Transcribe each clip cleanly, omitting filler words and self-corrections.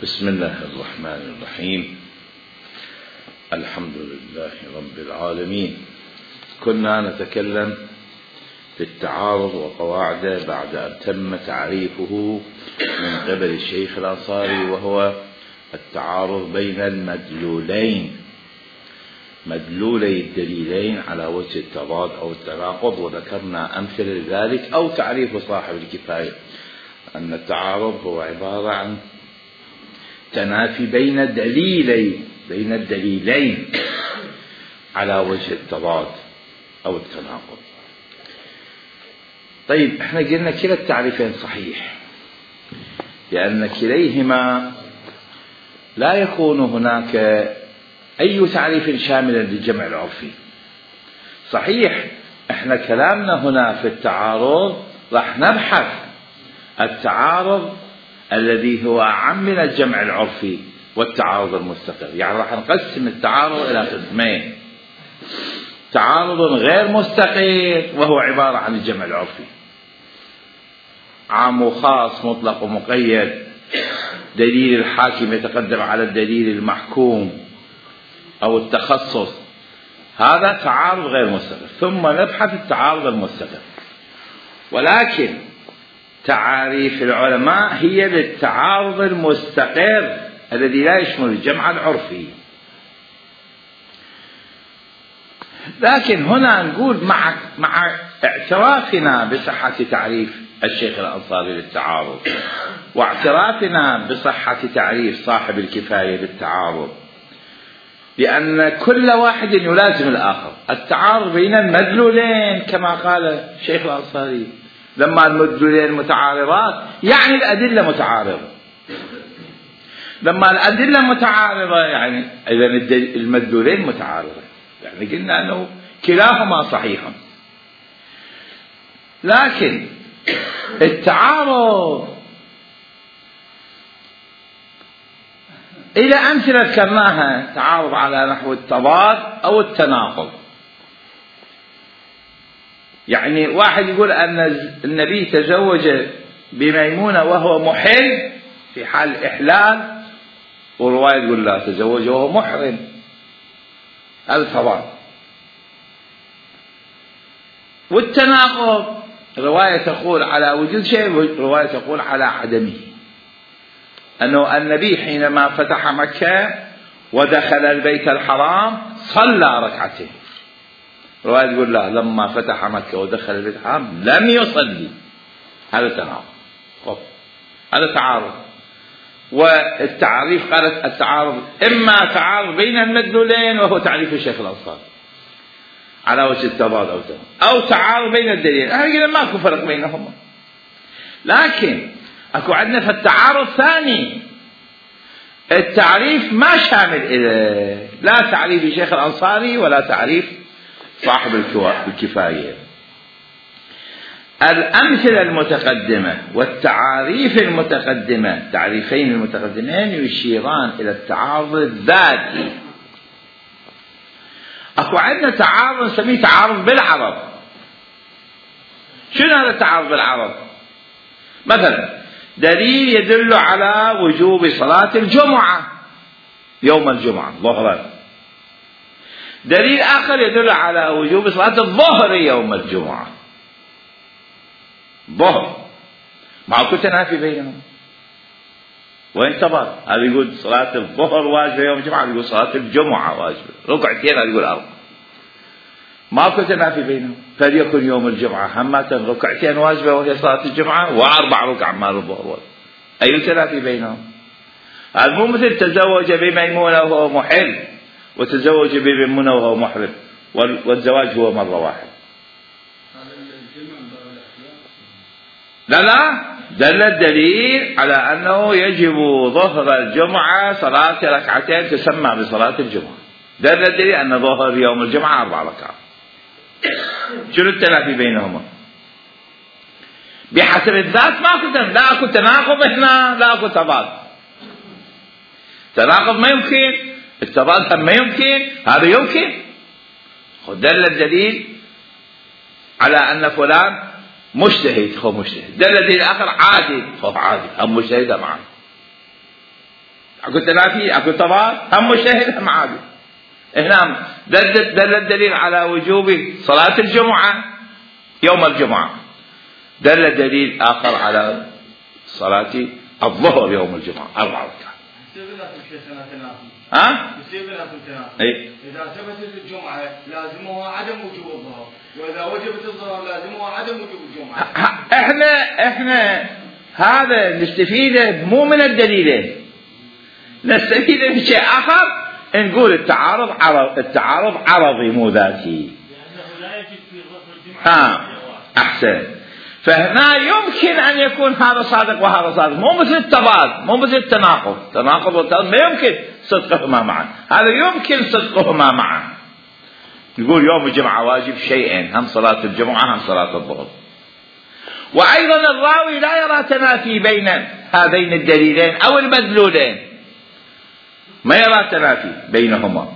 بسم الله الرحمن الرحيم. الحمد لله رب العالمين. كنا نتكلم في التعارض وقواعده بعد أن تم تعريفه من قبل الشيخ الأنصاري، وهو التعارض بين المدلولين، مدلولي الدليلين على وجه التضاد أو التناقض، وذكرنا أمثلة لذلك أو تعريف صاحب الكفاية أن التعارض هو عبارة عن تنافي بين الدليلين على وجه التضاد أو التناقض. طيب، احنا قلنا كلا التعريفين صحيح، لأن كليهما لا يكون هناك أي تعريف شامل للجمع العرفي. صحيح احنا كلامنا هنا في التعارض راح نبحث التعارض الذي هو أعم من الجمع العرفي والتعارض المستقر، يعني راح نقسم التعارض إلى قسمين: تعارض غير مستقر وهو عبارة عن الجمع العرفي، عام وخاص، مطلق ومقيد، دليل الحاكم يتقدم على الدليل المحكوم أو التخصص، هذا تعارض غير مستقر. ثم نبحث التعارض المستقر، ولكن تعاريف العلماء هي للتعارض المستقر الذي لا يشمل الجمع العرفي. لكن هنا نقول مع اعترافنا بصحة تعريف الشيخ الأنصاري للتعارض، واعترافنا بصحة تعريف صاحب الكفاية للتعارض، لأن كل واحد يلازم الآخر. التعارض بين المدلولين كما قال الشيخ الأنصاري، لما المدلولين متعارضات يعني الأدلة متعارضة. لما الأدلة متعارضة يعني إذا المدلولين متعارضة، يعني قلنا أنه كلاهما صحيح. لكن التعارض إلى أمثلة ذكرناها: تعارض على نحو التضاد أو التناقض. يعني واحد يقول أن النبي تزوج بميمونة وهو محل في حال الإحلال، ورواية تقول لا، تزوج وهو محرم. هذا تضاد. والتناقض رواية تقول على وجود شيء ورواية تقول على عدمه، أنه النبي حينما فتح مكة ودخل البيت الحرام صلى ركعتين، رواية تقول لا، لما فتح مكة ودخل البيت الحرام لم يصلي. هذا تناقض، هذا تعارض. والتعريف قالت التعارض إما تعارض بين المدلولين وهو تعريف الشيخ الأنصاري على وجه التضاد أو تعارض بين الدليلين. قلنا ماكو فرق بينهما. لكن اكو عندنا في التعارض ثاني، التعريف ما شامل إليه، لا تعريف الشيخ الأنصاري ولا تعريف صاحب الكفاية. الأمثلة المتقدمة والتعاريف المتقدمة، التعريفين المتقدمين يشيران إلى التعارض الذاتي. اكو عندنا تعارض نسميه تعارض بالعرض. شنو هذا التعارض بالعرض؟ مثلا دليل يدل على وجوب صلاة الجمعة يوم الجمعة ظهرا، دليل آخر يدل على وجوب صلاة الظهر يوم الجمعة ظهر، معكو تنافي بينهم. وين تبار؟ هذا يقول صلاة الظهر واجبة يوم الجمعة، هذا يقول صلاة الجمعة واجبة، ركعتين، هذا يقول أربع، ماكو تنافي بينهم. فليكن يوم الجمعة همة ركعتين واجبة وهي صلاة الجمعة، وأربع ركع مال الظهر واجبة. أي تنافي بينهم؟ هذا مو مثل تزوج بميمونة وهو محل وتزوج بميمونة وهو محرم، والزواج هو مرة واحدة. لا، دل الدليل على أنه يجب ظهر الجمعة صلاة ركعتين تسمى بصلاة الجمعة. دل الدليل أن ظهر يوم الجمعة 4 ركعات. شنو التنافي بينهما؟ بحسب الذات لا أكو تناقض هنا، لا أكو تضاد. تناقض ما يمكن، التضاد ما يمكن، هذا يمكن. دل الدليل على أن فلان مجتهد، هو مجتهد. دل الدليل الآخر عادل، هو عادل، هم مجتهد معه. اكو تنافي، اكو تضاد، هم مجتهد هم عادل. هنا دل الدليل على وجوب صلاة الجمعة يوم الجمعة، دل دليل آخر على صلاة الظهر يوم الجمعة 4 ركعات. إيه؟ إذا ثبتت الجمعة لازمها عدم وجوب الظهر، وإذا وجبت الظهر لازمها عدم وجوب الجمعة. احنا هذا نستفيده مو من الدليلين، نستفيده من شيء آخر، نقول التعارض عرضي مو ذاتي. لا يجب في ظهر الجمعة. أحسن. فهنا يمكن أن يكون هذا صادق وهذا صادق، مو مثل التضاد، مو مثل التناقض. تناقض والتضاد ما يمكن صدقهما معا، هذا يمكن صدقهما معا. نقول يوم الجمعة واجب شيئين، هم صلاة الجمعة هم صلاة الظهر. وأيضا الراوي لا يرى تنافي بين هذين الدليلين أو المدلولين، ما يرى تنافي بينهما،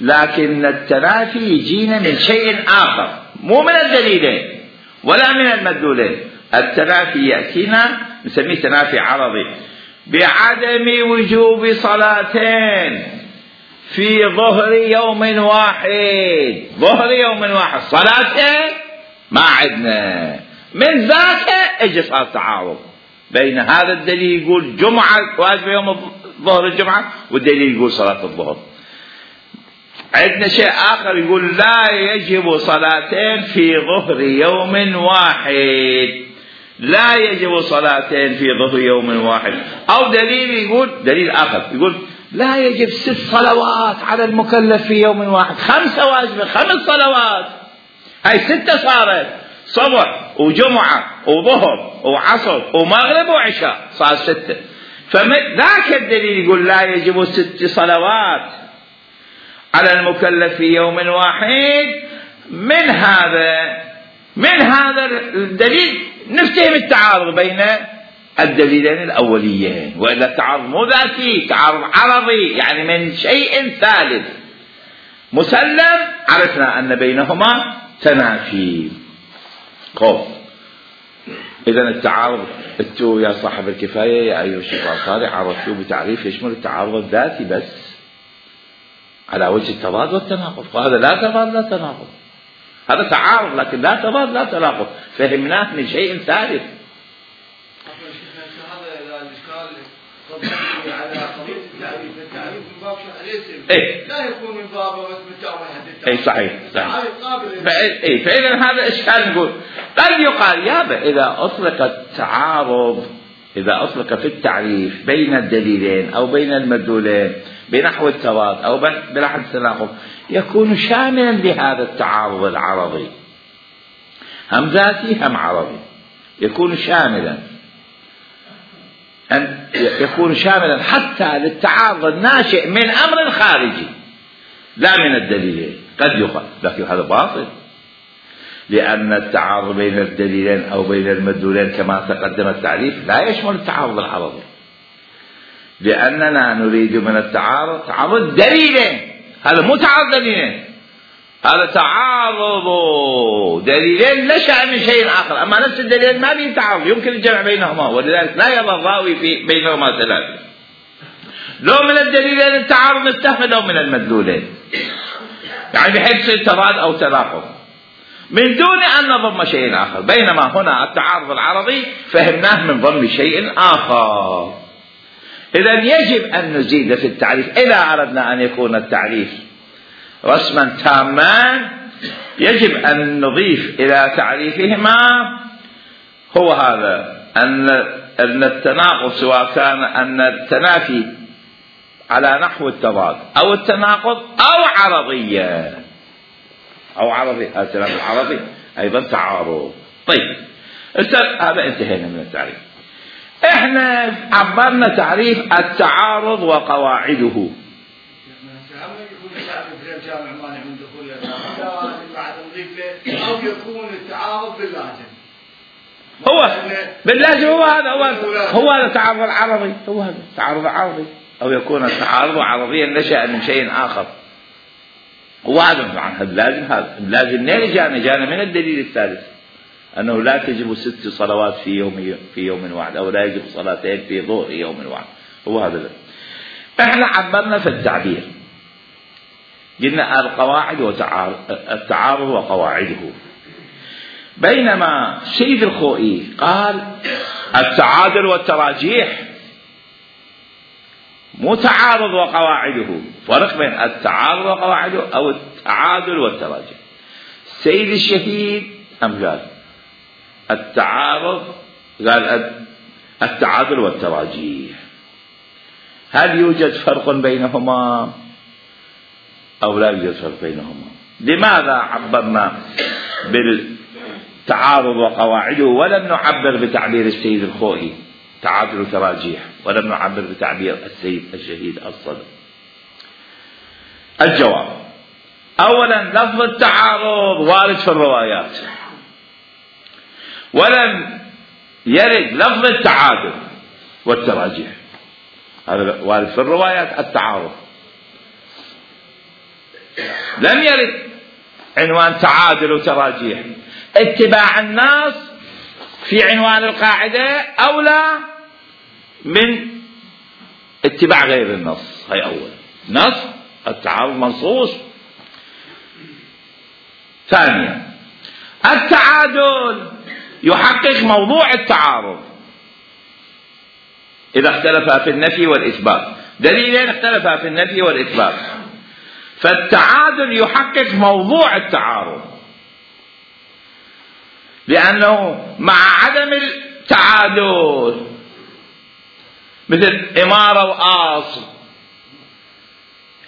لكن التنافي يجينا من شيء آخر مو من الدليلين ولا من المدلولين. التنافي يأتينا نسميه تنافي عرضي، بعدم وجوب صلاتين في ظهر يوم واحد. ظهر يوم واحد صلاتين ما عندنا، من ذاك اجى صار تعارض بين هذا الدليل يقول جمعة واجب يوم ظهر الجمعة، والدليل يقول صلاة الظهر. عندنا شيء آخر يقول لا يجب صلاتين في ظهر يوم واحد، لا يجب صلاتين في ظهر يوم واحد. أو دليل يقول دليل آخر يقول لا يجب 6 صلوات على المكلف في يوم واحد، 5 واجبة 5 صلوات، هاي 6 صارت، صبح وجمعة وظهر وعصر ومغرب وعشاء، صار 6. فذاك الدليل يقول لا يجب 6 صلوات على المكلف في يوم واحد. من هذا الدليل نفتهم التعارض بين الدليلين الأوليين، وإلا التعارض مو ذاتي، تعارض عرضي، يعني من شيء ثالث مسلم عرفنا أن بينهما تنافي. خوف. إذن التعارض انتو يا صاحب الكفاية يا أيها الشيخ الأنصاري عرفتوه بتعريف يشمل التعارض الذاتي بس على وجه التضاد والتناقض، وهذا لا تضاد لا تناقض، هذا تعارض لكن لا تضاد لا تناقض، فهمناه من شيء ثالث. على قضية التعريف، التعريف من باب شرع إيه؟ لا يكون من باب وثبت حد اي صحيح. فإذا هذا إشكال. نقول قد يقال يابا إذا أطلق التعارض، إذا أطلق في التعريف بين الدليلين أو بين المدلولين بنحو التضاد أو بنحو التناقض يكون شاملا لهذا التعارض العرضي، هم ذاتي هم عرضي، يكون شاملا، أن يكون شاملا حتى للتعارض الناشئ من أمر خارجي لا من الدليلين. قد يقال لكن هذا باطل، لأن التعارض بين الدليلين أو بين المدلولين كما تقدم التعريف لا يشمل التعارض العرضي، لأننا نريد من التعارض تعارض دليلين، هذا مو تعارض دليلين، هذا تعارض دليلين نشأ من شيء آخر، أما نفس الدليلين ما به تعارض يمكن الجمع بينهما، ولذلك لا يرى الراوي بينهما ثلاثة، لو من الدليلين التعارض نستفهم لو من المدلولين، يعني بحيث تضاد أو تناقض من دون أن نضم شيء آخر. بينما هنا التعارض العرضي فهمناه من ضمن شيء آخر. إذن يجب أن نزيد في التعريف إذا أردنا أن يكون التعريف رسما تاما، يجب أن نضيف إلى تعريفهما هو هذا أن التناقض سواء كان أن التنافي على نحو التضاد أو التناقض أو عرضية التناقض العرضي أيضا تعارض. طيب هذا انتهينا من التعريف. احنا عبرنا تعريف التعارض وقواعده. أو يكون التعارض باللازم، هو باللازم هو هذا التعارض العرضي، هو هذا التعارض العرضي، أو يكون التعارض عرضيا نشأ من شيء آخر، هو هذا عن اللازم جانا من الدليل الثالث أنه لا تجب 6 صلوات في يوم واحد، أو لا يجب صلاتين في ظهر يوم واحد، هو هذا. احنا عبرنا في التعبير، قلنا القواعد التعارض وقواعده، بينما سيد الخوئي قال التعادل والتراجيح، مو تعارض وقواعده. فرق بين التعارض وقواعده أو التعادل والتراجيح. سيد الشهيد قال التعارض، قال التعادل والتراجيح. هل يوجد فرق بينهما أو لا يوجد فرق بينهما؟ لماذا عبرنا بالتعارض وقواعده ولم نعبر بتعبير السيد الخوئي تعادل وتراجيح، ولم نعبر بتعبير السيد الشهيد الصدر؟ الجواب: أولا، لفظ التعارض وارد في الروايات، ولم يرد لفظ التعادل والتراجيح. هذا وارد في الروايات التعارض، لم يرد عنوان تعادل وتراجيح. اتباع الناس في عنوان القاعدة أولى من اتباع غير النص. هي أول نص، التعارض منصوص. ثانيا، التعادل يحقق موضوع التعارض إذا اختلفا في النفي والإثبات. دليلين اختلفا في النفي والإثبات، فالتعادل يحقق موضوع التعارض، لأنه مع عدم التعادل مثل إمارة وأصل،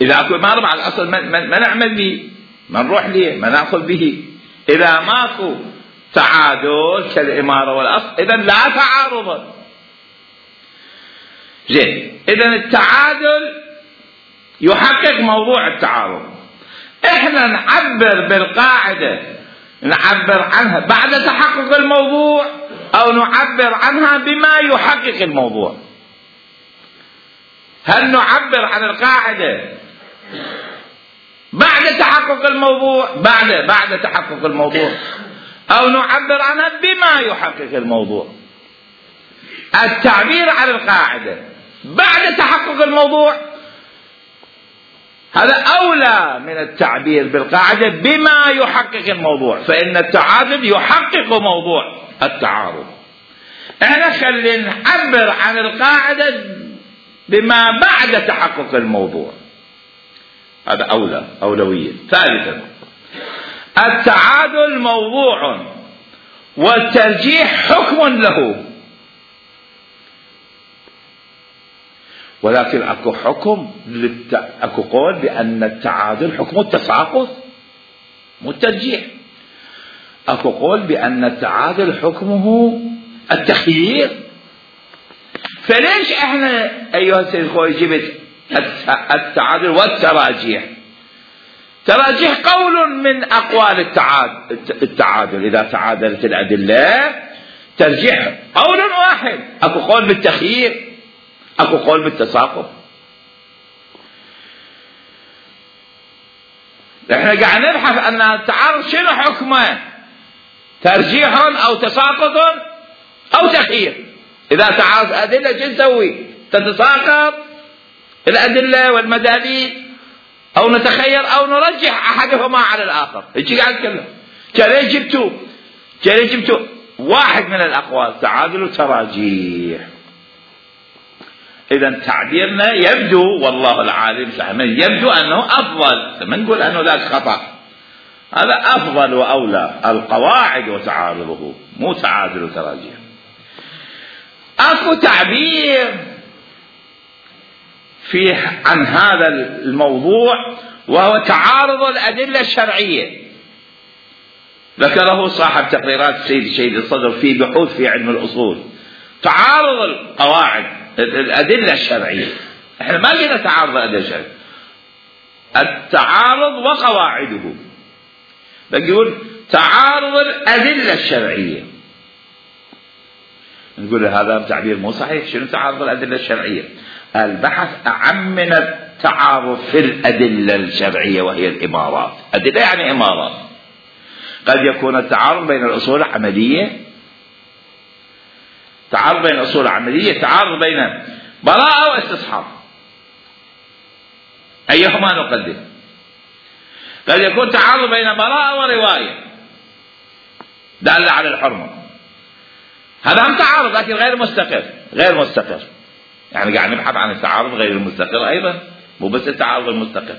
إذا أكو إمارة مع الأصل ما نعمل به، ما نروح ليه، ما نأخذ به. إذا ماكو تعادل كالإمارة والأصل إذن لا تعارض. زين، إذن التعادل يحقق موضوع التعارض. إحنا نعبر بالقاعدة، نعبر عنها بعد تحقق الموضوع أو نعبر عنها بما يحقق الموضوع. هل نعبر عن القاعدة بعد تحقق الموضوع، بعد تحقق الموضوع، أو نعبر عنها بما يحقق الموضوع؟ التعبير عن القاعدة بعد تحقق الموضوع هذا أولى من التعبير بالقاعدة بما يحقق الموضوع، فإن التعادل يحقق موضوع التعارض. احنا خلينا نعبر عن القاعدة بما بعد تحقق الموضوع، هذا أولوية. ثالثا، التعادل موضوع والترجيح حكم له، ولكن اكو حكم اكو قول بأن التعادل حكم التساقط مو الترجيح. اكو قول بأن التعادل حكمه التخيير. فليش احنا ايها السيد الخوئي جبت التعادل والتراجيح؟ تراجيح قول من اقوال التعادل، اذا تعادلت الادله. ترجيح قول واحد، اكو قول بالتخيير، اكو قول بالتساقط. احنا قاعد نبحث ان التعارض شنو حكمه، ترجيح او تساقط او تخيير. اذا تعارض ادله شو نسوي؟ تتساقط الادله والمداليل، او نتخير او نرجح احدهما على الاخر. هيك قاعد نتكلم. كلي جبتوا واحد من الاقوال تعادل وتراجيح. اذا تعبيرنا يبدو، والله العالم يبدو انه افضل، ما نقول انه ذاك خطا، هذا افضل واولى القواعد وتعارضه، مو تعادل وتراجيح. اكو تعبير فيه عن هذا الموضوع وهو تعارض الأدلة الشرعية، ذكره صاحب تقريرات السيد الصدر في بحوث في علم الأصول. تعارض القواعد الأدلة الشرعية، احنا ما قلنا تعارض الأدلة الشرعية، التعارض وقواعده، بقول تعارض الأدلة الشرعية. نقول هذا تعبير مو صحيح. شنو تعارض الأدلة الشرعية؟ البحث أعم من التعارض في الأدلة الشرعية وهي الإمارات. أدلة يعني إمارات. قد يكون التعارض بين الأصول العملية، تعارض بين الأصول العملية، تعارض بين براءة واستصحاب، أيهما نقدم؟ قد يكون تعارض بين براءة ورواية دالة على الحرمة، هذا هم تعارض لكن غير مستقر، غير مستقر، يعني قاعد نبحث عن التعارض غير المستقر أيضا، مو بس التعارض المستقر.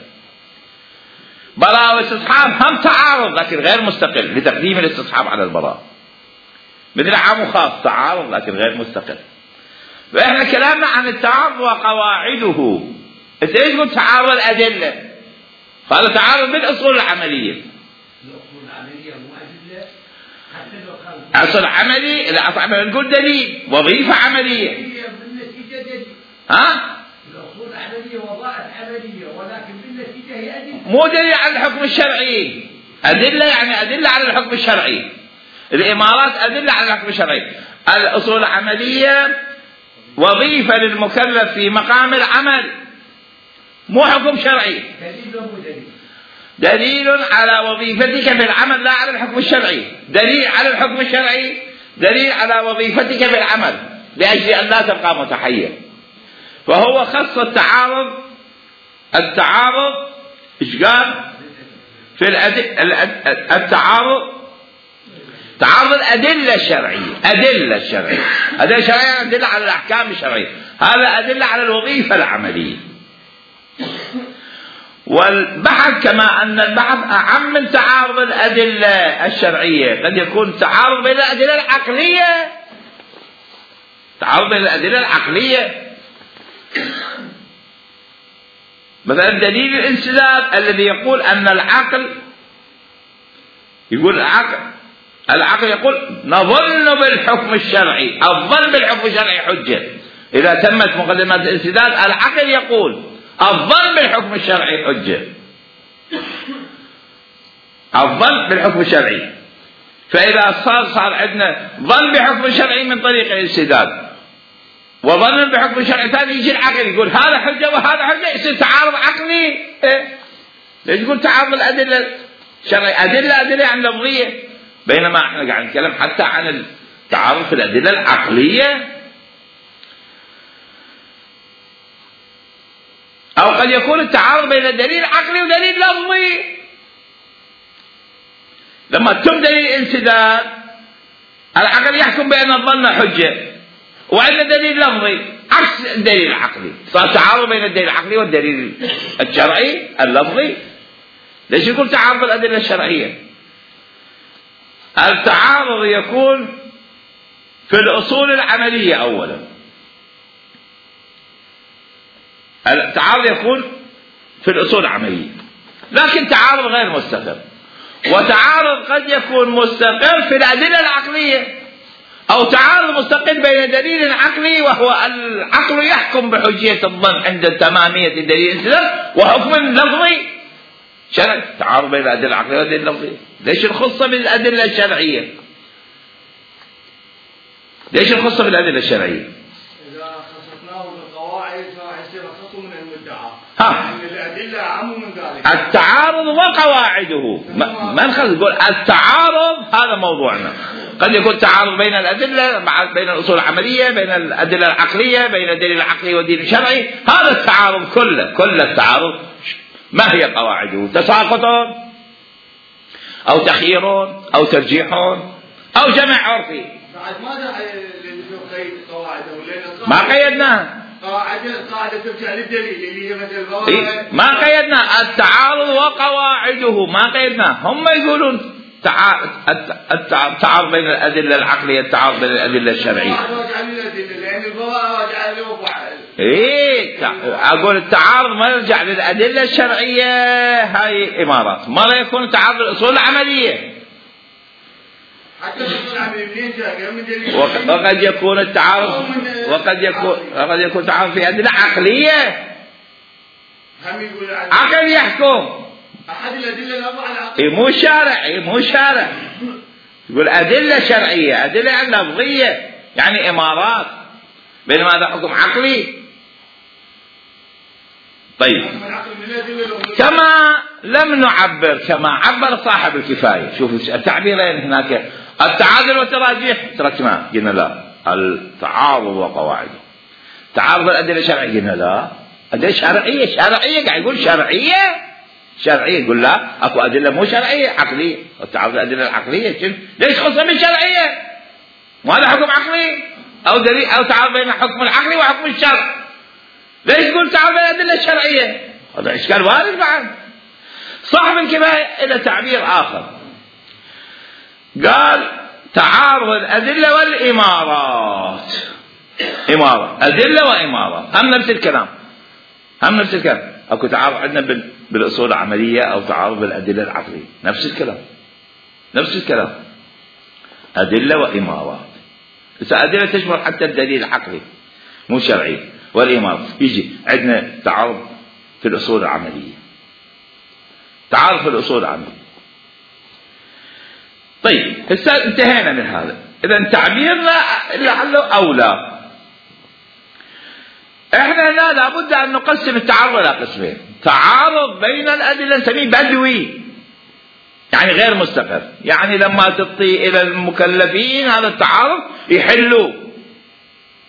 براءة واستصحاب هم تعارض لكن غير مستقر لتقديم الاستصحاب على البراءة، مثل عام وخاص تعارض لكن غير مستقر. فإحنا كلامنا عن التعارض وقواعده. أنت إيش قلت؟ تعارض الأدلة، هذا تعارض بالأصول العملية. الأصول العملية مو أدلة، حتى لو كان أصل عملي، لا نقول دليل، وظيفة عملية. بالنتيجة دليل. ها؟ الأصول العملية وظائف عملية، ولكن بالنتيجة هي أدلة. مو دليل على الحكم الشرعي، أدلة يعني أدلة على الحكم الشرعي. الإمارات أدلة على الحكم الشرعي. الأصول العملية وظيفة للمكلف في مقام العمل، مو حكم شرعي. دليل ومو دليل. دليل على وظيفتك في العمل لا على الحكم الشرعي، دليل على الحكم الشرعي، دليل على وظيفتك في العمل لأجل أن لا تبقى متحير. فهو خص التعارض إيش قال؟ في التعارض تعارض الأدلة الشرعية، أدلة الشرعية، أدلة الشرعية أدلة على الأحكام الشرعية، هذا أدلة على الوظيفة العملية. والبحث كما أن البحث أعم من تعارض الأدلة الشرعية، قد يكون تعارض بين الأدلة العقلية، تعارض بين الأدلة العقلية، مثلا دليل الانسداد الذي يقول أن العقل، يقول العقل يقول نظن بالحكم الشرعي، الظن بالحكم الشرعي حجة. إذا تمت مقدمات الانسداد العقل يقول الظن بالحكم الشرعي حجة، الظن بالحكم الشرعي. فإذا صار عندنا ظن بحكم شرعي من طريق الانسداد وظن بحكم شرعي ثاني، يجي العقل يقول هذا حجة وهذا حجة، يصير تعارض عقلي. ليش يقول تعارض الأدلة الشرعية؟ أدلة عن لفظية، بينما احنا قاعد نتكلم حتى عن التعارض في الأدلة العقلية. أو قد يكون التعارض بين دليل عقلي ودليل لفظي. لما تم دليل انسداد العقل يحكم بأن الظن حجة، وعندنا دليل لفظي عكس الدليل العقلي، صار تعارض بين الدليل العقلي والدليل الشرعي اللفظي. ليش يقول تعارض الأدلة الشرعية؟ التعارض يكون في الأصول العملية أولا، التعارض يكون في الأصول العملية، لكن تعارض غير مستقر. وتعارض قد يكون مستقر في الأدلة العقلية، أو تعارض مستقر بين دليل عقلي وهو العقل يحكم بحجية الظن عند تمامية الدليل الانسداد، وحكم لفظي شرعي. تعارض بين الأدلة العقلية والأدلة اللفظية. ليش الخصة بالأدلة الشرعية؟ ليش الخصة بالأدلة الشرعية؟ إذا خصصناه بالقواعد فيصير خصم من المدعى. يعني الأدلة أعم من ذلك. التعارض وقواعده، ما نخلص نقول التعارض، هذا موضوعنا. قد يكون تعارض بين الأدلة، بين الأصول العملية، بين الأدلة العقلية، بين الدليل العقلي والدليل الشرعي، هذا التعارض كل التعارض. ما هي قواعده؟ تساقط أو تخيير أو ترجيح أو جمع عرفي. بعد ماذا قيد قواعده؟ ما قيدناها. قاعدة ترجع للدليل اللي هي مثل ما قيدنا التعارض وقواعده، ما قيدنا. هم يقولون التعارض بين الأدلة العقلية، التعارض بين الأدلة الشرعية. لأن البراءة راجعة لوضع. أقول التعارض ما يرجع للأدلة الشرعية، هاي الإمارات. مرة يكون تعارض الأصول العملية، حتى الأصول العملية منين جاء؟ من دليل. وقد يكون التعارض وقد يكون تعارض في أدلة عقلية. عقل يحكم. أحد الأدلة الأربعة العقلية. مو شارع. يقول أدلة شرعية، أدلة لفظية، يعني إمارات، بينما هذا حكم عقلي. طيب، كما لم نعبر كما عبر صاحب الكفاية. شوفوا التعبيرين هناك، التعادل والتراجيح تركناه، قلنا لا، التعارض وقواعده. تعارض الأدلة الشرعية، قلنا لا، أدلة شرعية قاعد يقول شرعية يقول لا، أكو أدلة مو شرعية عقلية. تعارض الأدلة العقلية ليش خصها بالشرعية؟ ما هذا حكم عقلي أو دليل أو تعارض بين الحكم العقلي وحكم الشرع، ليش تقول تعارض بين الأدلة الشرعية؟ هذا إشكال وارد بعد. صاحب الكفاية إلى تعبير آخر، قال تعارض الأدلة والإمارات. إمارة، أدلة وإمارات هم نفس الكلام، أكو تعارض عندنا بالأصول العملية أو تعارض بالأدلة العقلية، نفس الكلام أدلة وإمارات. أدلة تشمل حتى الدليل العقلي مو شرعي، والإمارات يجي عندنا تعارض في الأصول العملية، طيب هسه انتهينا من هذا. إذا تعبيرنا لعله أولى. احنا هنا لابد أن نقسم التعارض إلى قسمين، تعارض بين الأدلة نسميه بدوي، يعني غير مستقر، يعني لما تطي إلى المكلفين هذا التعارض يحلوا،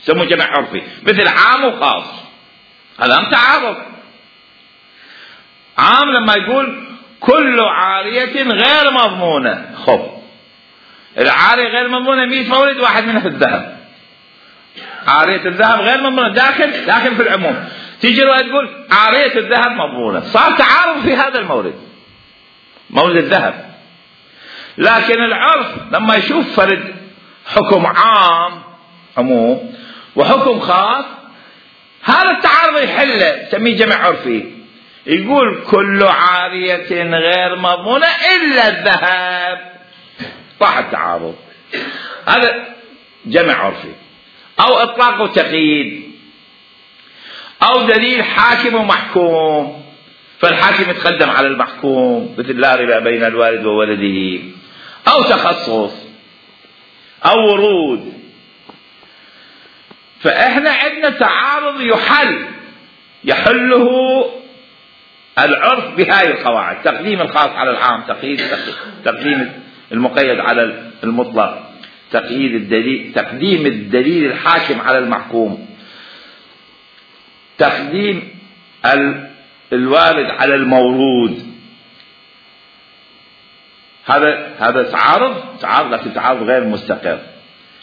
يسموه جمع عرفي، مثل عام وخاص، هذا هم تعارض. عام لما يقول كل عارية غير مضمونة، خب العارية غير مضمونة 100 مورد، واحد منها في الذهب، عارية الذهب غير مضمونة داخل في العموم، تيجي تقول عارية الذهب مضمونة، صار تعارض في هذا مورد الذهب. لكن العرف لما يشوف فرد حكم عام عموم وحكم خاص، هذا التعارض يحله، يسميه جمع عرفي، يقول كل عارية غير مضمونة إلا الذهب، طاح التعارض، هذا جمع عرفي. أو إطلاق وتقييد، أو دليل حاكم ومحكوم، فالحاكم يتقدم على المحكوم، مثل لا ربا بين الوالد وولده، أو تخصص أو ورود. فإحنا عندنا تعارض يحله العرف بهاي القواعد، تقديم الخاص على العام، تقديم المقيد على المطلق، تقديم الدليل الحاكم على المحكوم، تقديم الوارد على المورود. هذا تعارض لكن تعارض غير مستقر،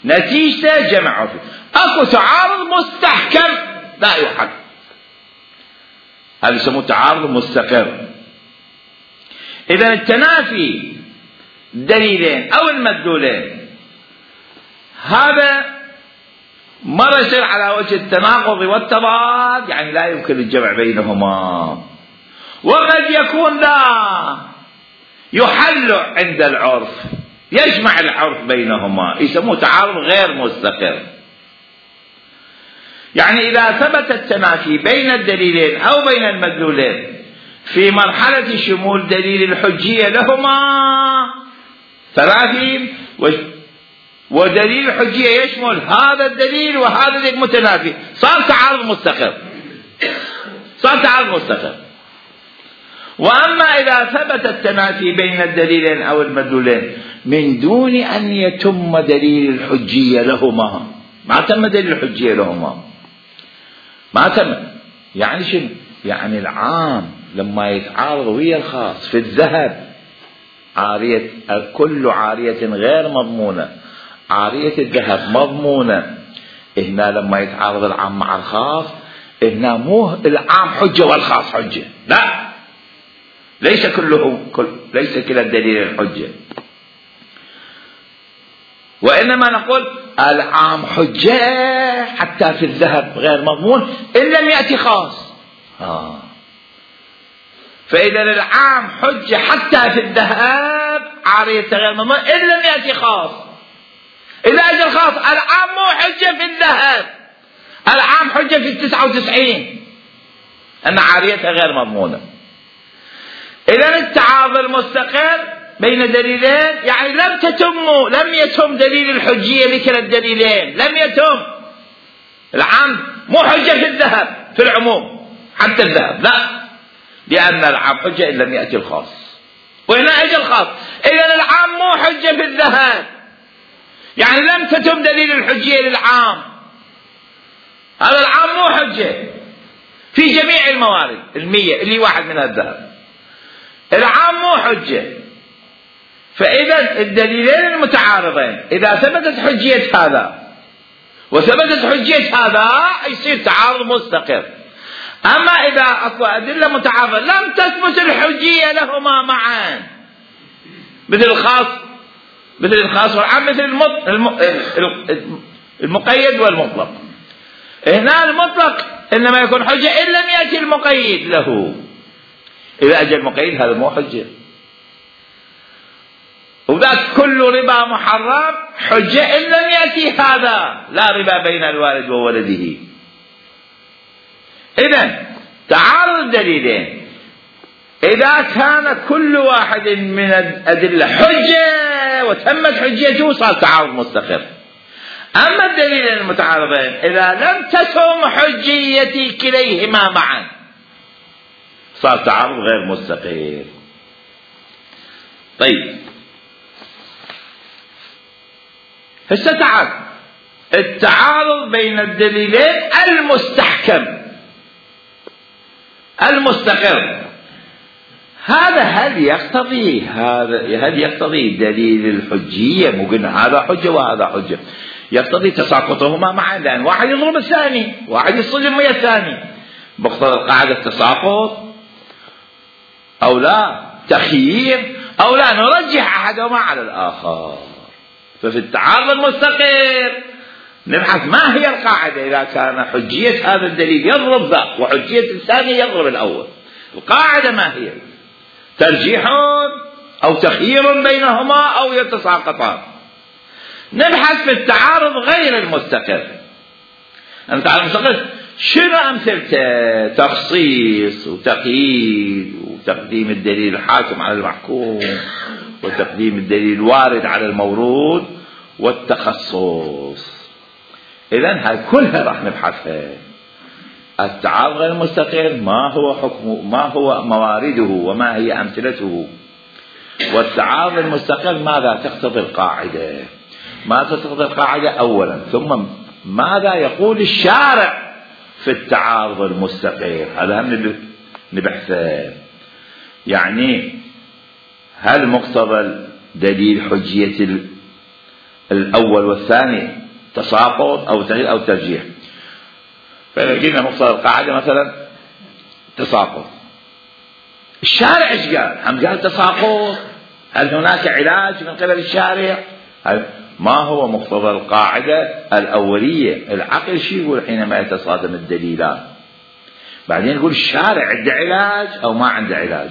نتيجته جمع عرفي. اكو تعارض مستحكم لا يحق، هذا يسموه تعارض مستقر. اذا التنافي دليلين او المدلولين هذا مرة يصير على وجه التناقض والتضاد، يعني لا يمكن الجمع بينهما، وقد يكون لا يحل عند العرف، يجمع العرف بينهما، يسموه تعارض غير مستقر. يعني إذا ثبت التنافي بين الدليلين أو بين المدلولين في مرحلة شمول دليل الحجية لهما تنافي، ودليل الحجية يشمل هذا الدليل وهذا الدليل متنافي، صار تعارض مستقر. وأما إذا ثبت التنافي بين الدليلين أو المدلولين من دون أن يتم دليل الحجية لهما، ما تم دليل الحجية لهما، ما تم، يعني شنو؟ يعني العام لما يتعارض ويا الخاص في الذهب، كل عارية غير مضمونة، عارية الذهب مضمونة، هنا لما يتعارض العام مع الخاص، هنا مو العام حجة والخاص حجة، لا، ليس كلا الدليل الحجة، وإنما نقول العام حجة حتى في الذهب غير مضمون إن لم يأتي خاص. فإذا العام حجة حتى في الذهب عارية غير مضمون إن لم يأتي خاص. إذا أجى الخاص العام مو حجة في الذهب، العام حجة في 99 أن عاريتها غير مضمونة. إذا التعارض المستقر بين دليلين يعني لم يتم دليل الحجية لكلا الدليلين، لم يتم. العام مو حجة في الذهب في العموم حتى الذهب، لا، لأن العام حجة إن لم يأتي الخاص، وهنا أجى الخاص. إذا العام مو حجة في الذهب، يعني لم تتم دليل الحجية للعام، هذا العام مو حجة في جميع الموارد 100 اللي واحد من الذهب، العام مو حجة. فإذا الدليلين المتعارضين إذا ثبتت حجية هذا وثبتت حجية هذا يصير تعارض مستقر. أما إذا أكو أدلة متعارضة لم تثبت الحجية لهما معا، مثل الخاص والعام، مثل المقيد والمطلق. هنا المطلق إنما يكون حجة إن لم يأتي المقيد له. إذا أجى المقيد هذا مو حجة. وذاك كل ربا محرم حجة إن لم يأتي هذا، لا ربا بين الوالد وولده. إذن تعارض الدليلين إذا كان كل واحد من الأدلة حجة وتمت حجته صار تعارض مستقر. أما الدليلين المتعارضين إذا لم تتم حجية كليهما معا صار تعارض غير مستقر. طيب هسه تعال التعارض بين الدليلين المستحكم المستقر، هل يقتضي دليل الحجية؟ مو قلنا هذا حجة وهذا حجة، يقتضي تساقطهما معا، لأن واحد يضرب الثاني، واحد يصطدم ويا الثاني. مقتضى القاعدة التساقط أو لا، تخيير أو لا، نرجح أحدهما على الآخر. ففي التعارض المستقر نبحث ما هي القاعدة إذا كان حجية هذا الدليل يضرب ذاك وحجية الثاني يضرب الأول. القاعدة ما هي؟ ترجيح أو تخيير بينهما أو يتساقطان. نبحث في التعارض غير المستقر. التعارض المستقر شنو أمثلته؟ تخصيص وتقييد وتقديم الدليل الحاكم على المحكوم وتقديم الدليل الوارد على المورود والتخصص. إذن هاي كلها راح نبحثها. التعارض غير المستقر ما هو حكمه، ما هو موارده، وما هي أمثلته. والتعارض المستقر ماذا تقتضي القاعدة، ما تقتضي القاعدة أولا، ثم ماذا يقول الشارع في التعارض المستقر. هذا هم نبحثه. يعني هل مقتضى دليل حجية الأول والثاني تساقط أو تغيير أو ترجيح؟ فإذا قلنا مقتضى القاعدة مثلا تساقط، الشارع ايش قال؟ هم قال تساقط. هل هناك علاج من قبل الشارع؟ ما هو مقتضى القاعدة الأولية؟ العقل شو يقول حينما يتصادم الدليلان؟ بعدين يقول الشارع عنده علاج أو ما عنده علاج.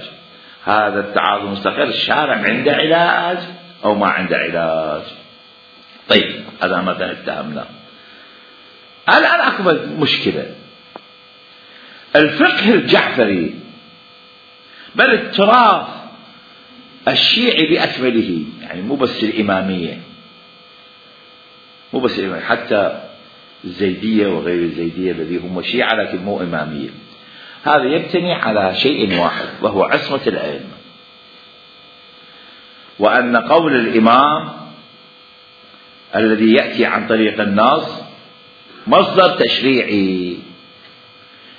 هذا التعارض المستقر الشارع عنده علاج أو ما عنده علاج. طيب هذا مثلا اتهمنا. الآن أكبر مشكلة الفقه الجعفري، بل التراث الشيعي بأكمله، يعني مو بس الإمامية، حتى الزيدية وغير الزيدية الذي هم شيعة لكن مو إمامية، هذا يبتني على شيء واحد وهو عصمة الأئمة، وأن قول الإمام الذي يأتي عن طريق النص مصدر تشريعي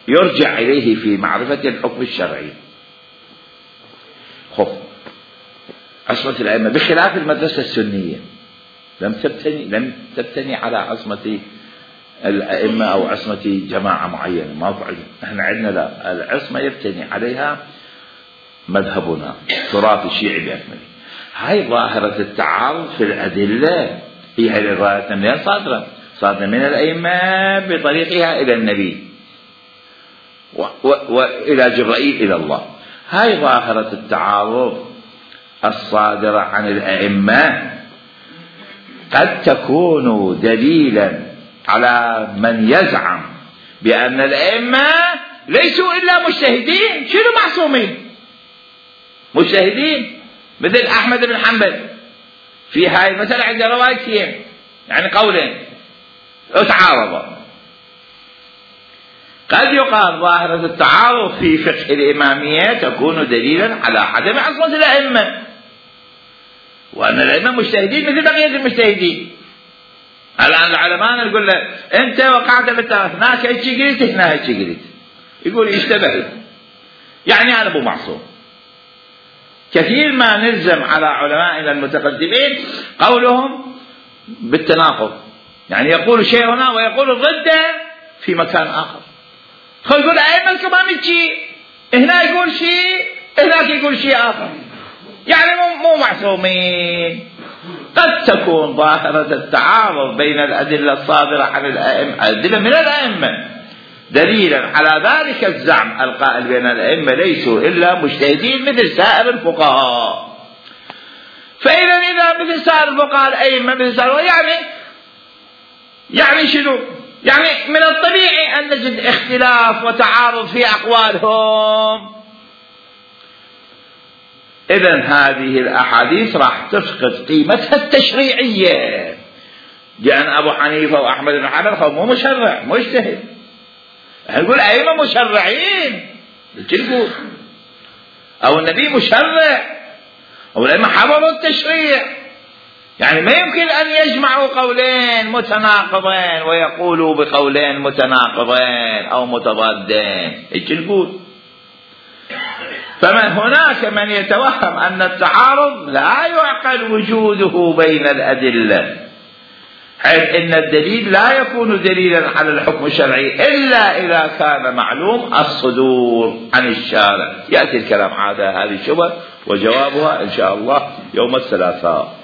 يرجع إليه في معرفة الحكم الشرعي. خب عصمة الأئمة بخلاف المدرسة السنية لم تبتني على عصمة الأئمة أو عصمة جماعة معينة، ما فعل. احنا عندنا لا، العصمة يبتني عليها مذهبنا تراث الشيعي بأكمله. هاي ظاهرة التعارض في الأدلة هي الرواية منين صادرة من الأئمة بطريقها إلى النبي وإلى جبرائيل إلى الله. هاي ظاهرة التعارض الصادرة عن الأئمة قد تكون دليلا على من يزعم بأن الأئمة ليسوا إلا مجتهدين. شنو معصومين؟ مجتهدين، مثل أحمد بن حنبل في هاي المسألة عند روايتين، يعني قولين تعارضا. قد يقال ظاهرة التعارض في فقه الإمامية تكون دليلا على عدم عصمة الأئمة، وأن الأئمة مجتهدين مثل بقية المجتهدين. الآن العلماء يقول له أنت وقعت هناك هيك قلت هنا هيك قلت، يقول اشتبهت، يعني أنا مو معصوم. كثير ما نلزم على علمائنا المتقدمين قولهم بالتناقض، يعني يقول شيء هنا ويقول ضده في مكان آخر. خل يقول أئمة الكرام شيء، هنا يقول شيء، هناك يقول شيء آخر، يعني مو معصومين. قد تكون ظاهرة التعارض بين الأدلة الصادرة عن الأئمة، أدلة من الأئمة، دليلا على ذلك الزعم القائل بين الأئمة ليسوا إلا مجتهدين مثل سائر الفقهاء. إذا مثل سائر الفقهاء الأئمة مثل سائر، يعني شنو؟ يعني من الطبيعي أن نجد اختلاف وتعارض في أقوالهم. إذن هذه الأحاديث راح تفقد قيمتها التشريعية، لأن أبو حنيفة وأحمد بن حنبل هم مشرع مجتهد، نقول أئمة مشرعين بالجلد، أو النبي مشرع، أو الأئمة حفظوا التشريع، يعني ما يمكن أن يجمعوا قولين متناقضين ويقولوا بقولين متناقضين أو متضادين، الجلد. فمن هناك من يتوهم أن التعارض لا يعقل وجوده بين الأدلة، حيث إن الدليل لا يكون دليلا على الحكم الشرعي إلا إذا كان معلوم الصدور عن الشارع. يأتي الكلام على هذه الشبهة وجوابها إن شاء الله يوم الثلاثاء.